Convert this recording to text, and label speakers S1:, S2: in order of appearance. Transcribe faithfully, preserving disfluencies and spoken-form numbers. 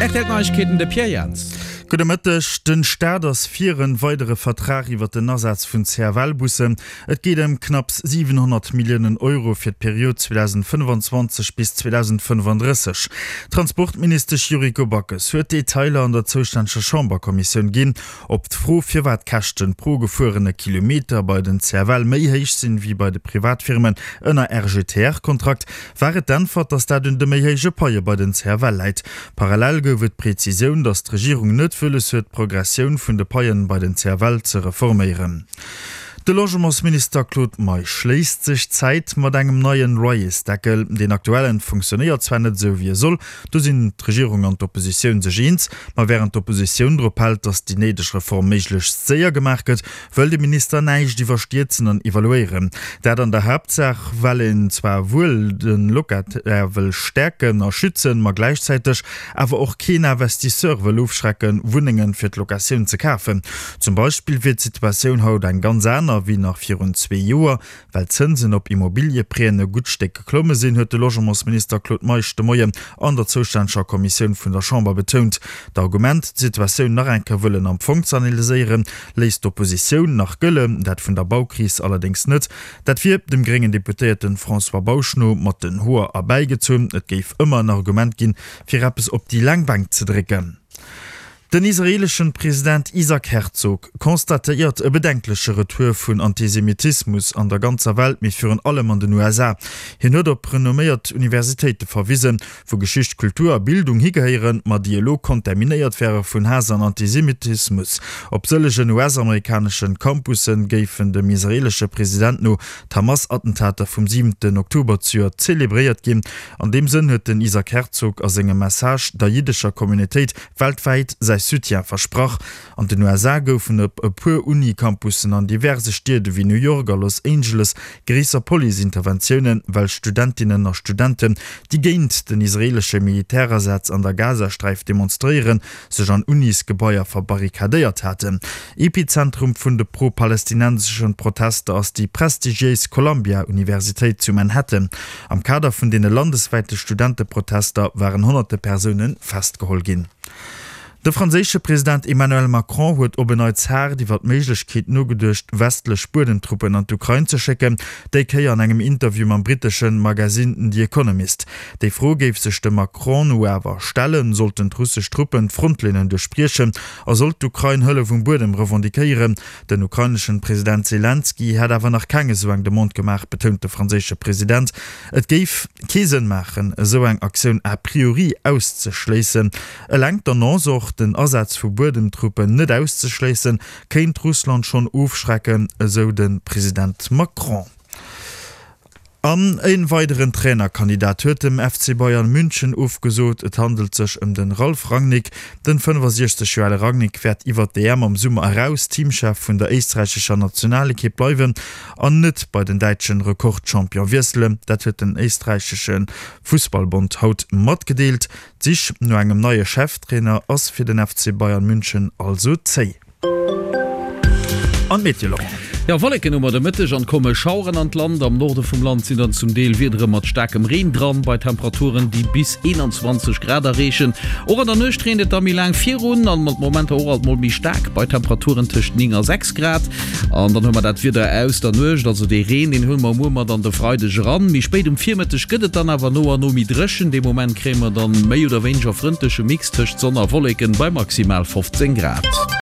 S1: R T L Neiegkeeten, de Pierre Jans.
S2: Gudde Mëtteg. Den Staat ass fir en weidere Vertrag iwwer den Asaz vun C F L-Bussen. Et geet ëm knapps siwenhonnert Milliounen Euro fir d'Period zweedausendfënnefanzwanzeg bis zweedausendfënnefandrësseg. D'Transportministesch Yuriko Backes huet d'Detailer an der zoustänneger Chamberkommissioun ginn. Op d'Fro, firwat d'Käschten pro gefuerene Kilometer bei den C F L méi héich sinn wéi bei de Privatfirmen ënner R G T R-Kontrakt, war et d'Äntwert, datt dat un de méi héije Paie bei den C F L läit. Parallel gouf et d'Prezisioun, datt d'Regierung net wëlles huet, d'Progressioun vun de Paien bei den C F L ze reforméieren. De Logementsminister Claude Meisch léisst sech Zäit mat engem neien Loyersdeckel. Deen aktuellen funktionéiert zwar net esou wéi e soll, do sinn d'Regierung an d'Oppositioun sech eens, ma wärend d'Oppositioun drop hält, datt déi néideg Reform méiglechst séier gemaach gëtt, wëll de Minister näischt iwwerstierzen an evaluéieren. Dat an der Haaptsaach, well een zwar wuel de Locataire wëll stäerken a schützen, ma gläichzäiteg awer och keen Investisseur wëll ofschrecken, Wunnenge fir d'Locatioun ze kafen. Zum Beispill wier d'Situatioun haut eng ganz aner wéi nach virun zwee Joer, well d'Zënsen op Immobiliëprêten e gutt Stéck geklomme sinn, huet de Logementsminister Claude Meisch de Moien an der zoustänneger Kommissioun vun der Chamber betount. D'Argument, d'Situatioun nach eng Kéier wëllen am Fong ze analyséieren, léisst d'Oppositioun nach gëllen, dat vun der Baukris allerdéngs net. Dat wier dem gréngen Deputéierte François Bausch no mat den Hoer erbäigezunn. Et géif ëmmer en Argument ginn, fir eppes op déi laang Bänk ze drécken. Den israeeleschen President Isaac Herzog constatéiert e bedenkleche Retour vun Antisemitismus an der ganzer Welt, mee virun allem an den U S A. Hien huet op renomméiert Universitéite verwisen, wou Geschicht, Kultur a Bildung higehéieren, ma déi elo kontaminéiert wäre vun Haass an Antisemitismus. Op sëllegen U S-amerikaneschen Campussen géifen dem israeelesche President no d'Hamas-Attentater vum siwenten Oktober zejoert zelebréiert ginn. An deem Sënn huet den Isaac Herzog a sengem Message der jiddescher Communautéit weltwäit säi Soutien versprach. An den U S A goufen op e puer Uni-Campussen an diverse Stied ewéi New York a Los Angeles gréisser Police-Interventiounen, well Studentinnen a Studenten, déi géint den israeelesche Militärasaz an der Gazasträif demonstréieren, sech an Unisgebaier verbarrikadéiert haten. Epizentrum vun de pro-palästinensesche Protester ass déi prestigiéis Columbia-Universitéit zu Manhattan. Am Kader vun deene landeswäite Studenteprotester waren honnerte Persoune festgeholl ginn. De franséische President Emmanuel Macron huet op en Neits haart iwwer d'Méiglechkeet nogeduecht, westlech Buedemtruppen an d'Ukrain ze schécken, déi Kéier an engem Interview mam brittesche Magasinn The Economist. Déi Fro géif sech dem Macron no awer stellen, sollten d'russesch Truppen d'Frontlinnen duerchbriechen a sollt d'Ukrain Hëllef um Buedem revendiquéieren. Den ukraineschen President Selenskyj hätt awer nach keng esou eng Demande gemaach, betount de franséische President. Et géif kee Sënn maachen, esou eng Aktioun a priori auszeschléissen. Eleng d'Annonce, och den Asaz vu Buedemtruppen net auszeschléissen, kéint Russland schonn ofschrecken, esou de President Macron. An e weideren Trainerkandidat huet dem F C Bayern München ofgesot. Et handelt sech ëm den Ralf Rangnick. Den fënnefasiechzeg Joer ale Rangnick wäert iwwer d'E M am Summer eraus Teamchef vun der éisträichescher Nationalekipp bleiwen an net bei den däitschen Rekordchampion wiesselen. Dat huet den éisträichesche Fussballbond haut matgedeelt. D'Sich no engem neie Cheftrainer ass fir den F C Bayern München also zéi. An d'Meteo, Laurent.
S1: Jo, Wolleken hu mer de Mëtteg an komme Schaueren an d'Land. Am Norde vum Land sinn dann zum Deel Wiedere mat staarkem Reen dran, bei Temperaturen, déi bis eenanzwanzeg Grad erreechen. Och an der Nuecht reent et da méi laang virun an mat Momenter och alt mol méi staark, bei Temperaturen tëscht néng a sechs Grad. An dann hu mer dat Wieder aus der Nuecht, also dee Reen, deen huele mer muer mat an de Freideg eran. Méi spéit um Virmëtteg gëtt et dann awer no an no méi dréchen. Dee Moment kréie mer dann méi oder wéineger frëndleche Mix tëscht Sonn a Wolleken bei maximal fofzéng Grad.